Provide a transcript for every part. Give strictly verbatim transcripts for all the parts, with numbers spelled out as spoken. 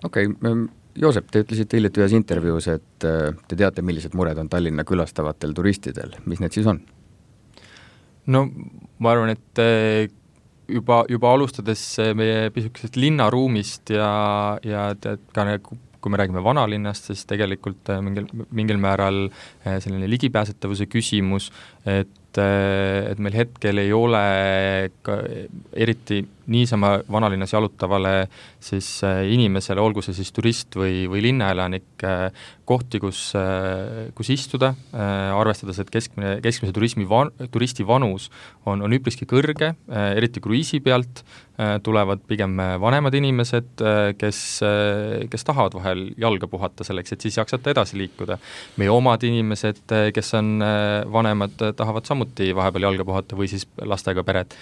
okei okay,, Joosep, te ütlesite hiljuti ühes intervjuus, et te teate, millised mured on Tallinna külastavatel turistidel. Mis need siis on? No ma arvan, et juba, juba alustades meie pisukesest linnaruumist ja, ja tead, ka kui me räägime vanalinnast, siis tegelikult mingil, mingil määral selline ligipääsetavuse küsimus, et, et meil hetkel ei ole ka eriti niisama vanalinnas jalutavale siis inimesele, olgu see siis turist või, või linnaelanik, kohti, kus, kus istuda, arvestades, et keskmine, keskmise turismi van, turisti vanus on, on üpriski kõrge, eriti kruiisi pealt tulevad pigem vanemad inimesed, kes, kes tahavad vahel jalga puhata selleks, et siis jaksata edasi liikuda. Meie omad inimesed, kes on vanemad, tahavad samuti vahepeal jalga puhata või siis lastega pered.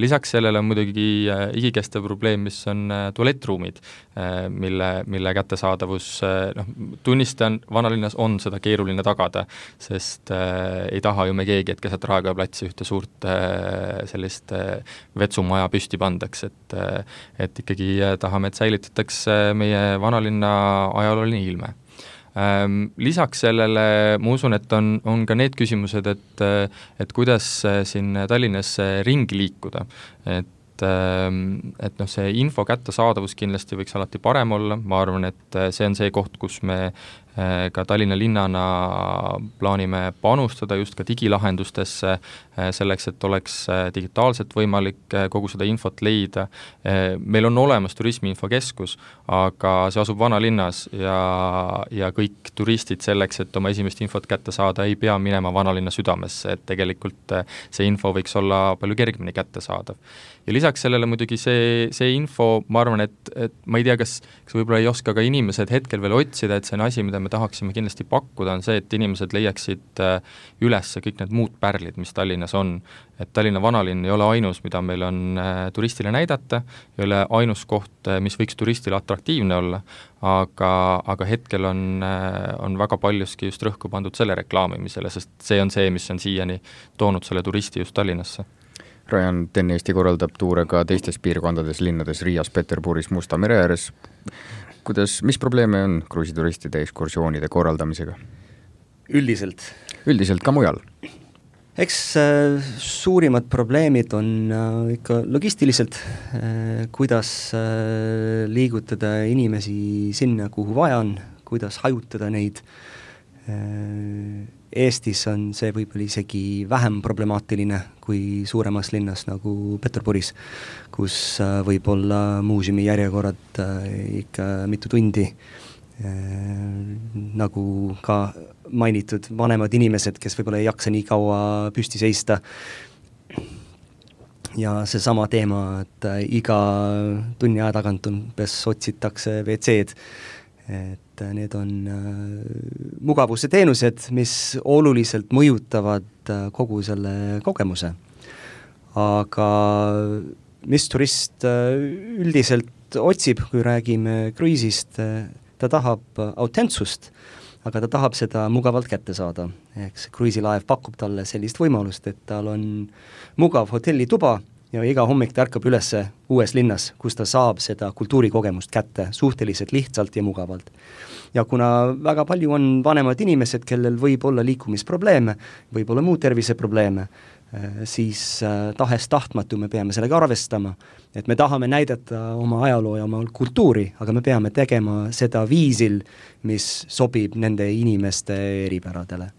Lisaks sellele on muidugi igikestev probleem, mis on tualettruumid, mille, mille kättesaadavus, noh, tunnistan, vanalinnas on seda keeruline tagada, sest äh, ei taha ju me keegi, et keset Raekoja platsi ühte suurt äh, sellist äh, vetsumaja püsti pandaks, et, äh, et ikkagi tahame, et säilitataks meie vanalinna ajalooline ilme. Lisaks sellele ma usun, et on, on ka need küsimused, et, et kuidas siin Tallinnas ringi liikuda, et et noh, see info kättesaadavus kindlasti võiks alati parem olla, ma arvan, et see on see koht, kus me ka Tallinna linnana plaanime panustada just ka digilahendustesse selleks, et oleks digitaalselt võimalik kogu seda infot leida. Meil on olemas turismiinfokeskus, aga see asub vanalinnas ja, ja kõik turistid selleks, et oma esimest infot kätte saada, ei pea minema vanalinna südamesse, et tegelikult see info võiks olla palju kergemini kättesaadav. Ja lisaks sellele muidugi see, see info, ma arvan, et, et ma ei tea, kas, kas võib-olla ei oska ka inimesed hetkel veel otsida, et see on asi, mida me tahaksime kindlasti pakkuda, on see, et inimesed leiaksid üles kõik need muud pärlid, mis Tallinnas on. Et Tallinna vanalinn ei ole ainus, mida meil on turistile näidata, ei ole ainus koht, mis võiks turistile atraktiivne olla, aga, aga hetkel on, on väga paljuski just rõhku pandud selle reklaamimisele, sest see on see, mis on siiani toonud selle turisti just Tallinnasse. Rajan Ten Eesti korraldab tuure ka teistes piirkondades, linnades Riias, Peterburis, Musta mere ääres. Kuidas, mis probleeme on kruiisituristide ekskursioonide korraldamisega? Üldiselt? Üldiselt ka mujal. Eks äh, suurimad probleemid on äh, ikka logistiliselt, äh, kuidas äh, liigutada inimesi sinna, kuhu vaja on, kuidas hajutada neid. Äh, Eestis on see võib-olla isegi vähem problemaatiline kui suuremas linnas nagu Peterburis, kus võib olla muuseumi järjekorrad ikka mitu tundi, nagu ka mainitud vanemad inimesed, kes võib-olla ei jaksa nii kaua püsti seista. Ja see sama teema, et iga tunni aja tagant on, pes otsitakse V C-d, et need on mugavuse teenused, mis oluliselt mõjutavad kogu selle kogemuse. Aga mis turist üldiselt otsib, kui räägime kruiisist, ta tahab autentsust, aga ta tahab seda mugavalt kätte saada. Eks kruiisilaev pakub talle sellist võimalust, et tal on mugav hotellituba ja iga hommik ta ärkab üles uues linnas, kus ta saab seda kultuurikogemust kätte suhteliselt lihtsalt ja mugavalt. Ja kuna väga palju on vanemad inimesed, kellel võib olla liikumisprobleeme, võib olla muud terviseprobleeme, siis tahes tahtmatu me peame sellega arvestama, et me tahame näidata oma ajaloo ja oma kultuuri, aga me peame tegema seda viisil, mis sobib nende inimeste eripäradele.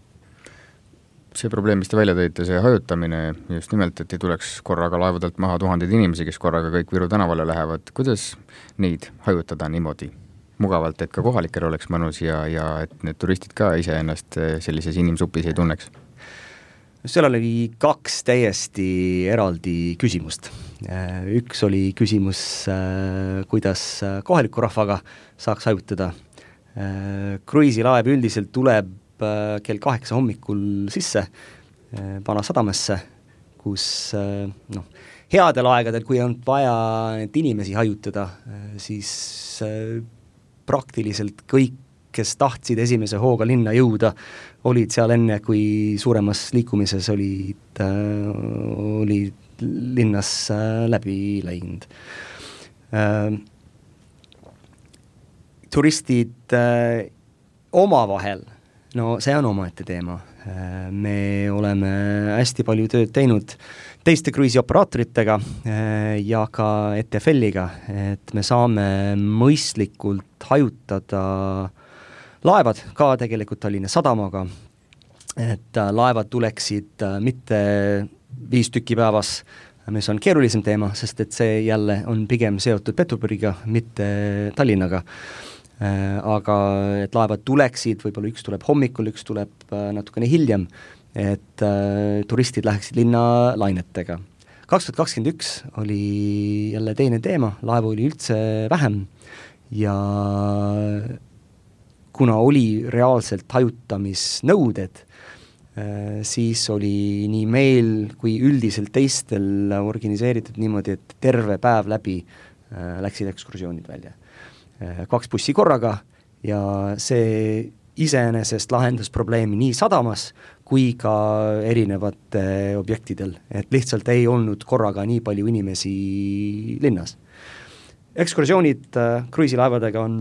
See probleem, mis te välja tõite, see hajutamine just nimelt, et ei tuleks korraga laevadelt maha tuhandeid inimesi, kes korraga kõik Viru tänavale lähevad. Kuidas neid hajutada niimoodi mugavalt, et ka kohalikel oleks mõnus ja, ja et need turistid ka ise ennast sellises inimsupis ei tunneks? Seal oli kaks täiesti eraldi küsimust. Üks oli küsimus, kuidas kohaliku rahvaga saaks hajutada. Kruiisilaev üldiselt tuleb kell kaheksa hommikul sisse Vana sadamasse, kus noh, headel aegadel, kui on vaja need inimesi hajutada, siis praktiliselt kõik, kes tahtsid esimese hooga linna jõuda, olid seal enne, kui suuremas liikumises olid, olid linnas läbi läinud. turistid äh, omavahel, no see on omaette teema. Äh, me oleme hästi palju tööd teinud teiste kruiisioperaatoritega äh, ja ka E T F L-iga, et me saame mõistlikult hajutada laevad ka tegelikult Tallinna Sadamaga, et äh, laevad tuleksid äh, mitte viis tükki päevas, mis on keerulisem teema, sest et see jälle on pigem seotud Peterburiga, mitte Tallinnaga. Aga et laevad tuleksid, võib-olla üks tuleb hommikul, üks tuleb natukene hiljem, et turistid läheksid linna lainetega. kaks tuhat kakskümmend üks oli jälle teine teema, laevu oli üldse vähem ja kuna oli reaalselt hajutamisnõuded, siis oli nii meil kui üldiselt teistel organiseeritud niimoodi, et terve päev läbi läksid ekskursioonid välja. Kaks bussi korraga ja see iseenesest lahendas probleemi nii sadamas kui ka erinevate objektidel, et lihtsalt ei olnud korraga nii palju inimesi linnas. Ekskursioonid kruiisilaevadega on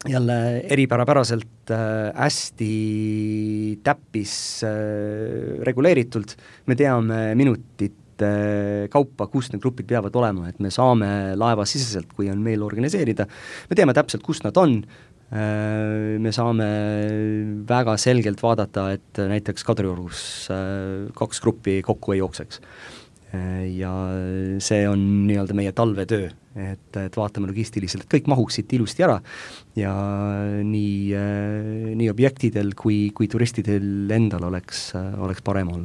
jälle eripärapäraselt äh, hästi täppis äh, reguleeritult, me teame minutit äh, kaupa, kus need grupid peavad olema, et me saame laeva siseselt, kui on meil organiseerida, me teame täpselt, kus nad on, äh, me saame väga selgelt vaadata, et näiteks Kadriorus äh, kaks gruppi kokku ei jookseks. Ja see on nii-öelda meie talvetöö, et, et vaatame logistiliselt, et kõik mahuksid ilusti ära ja nii, nii objektidel kui, kui turistidel endal oleks, oleks parem olla.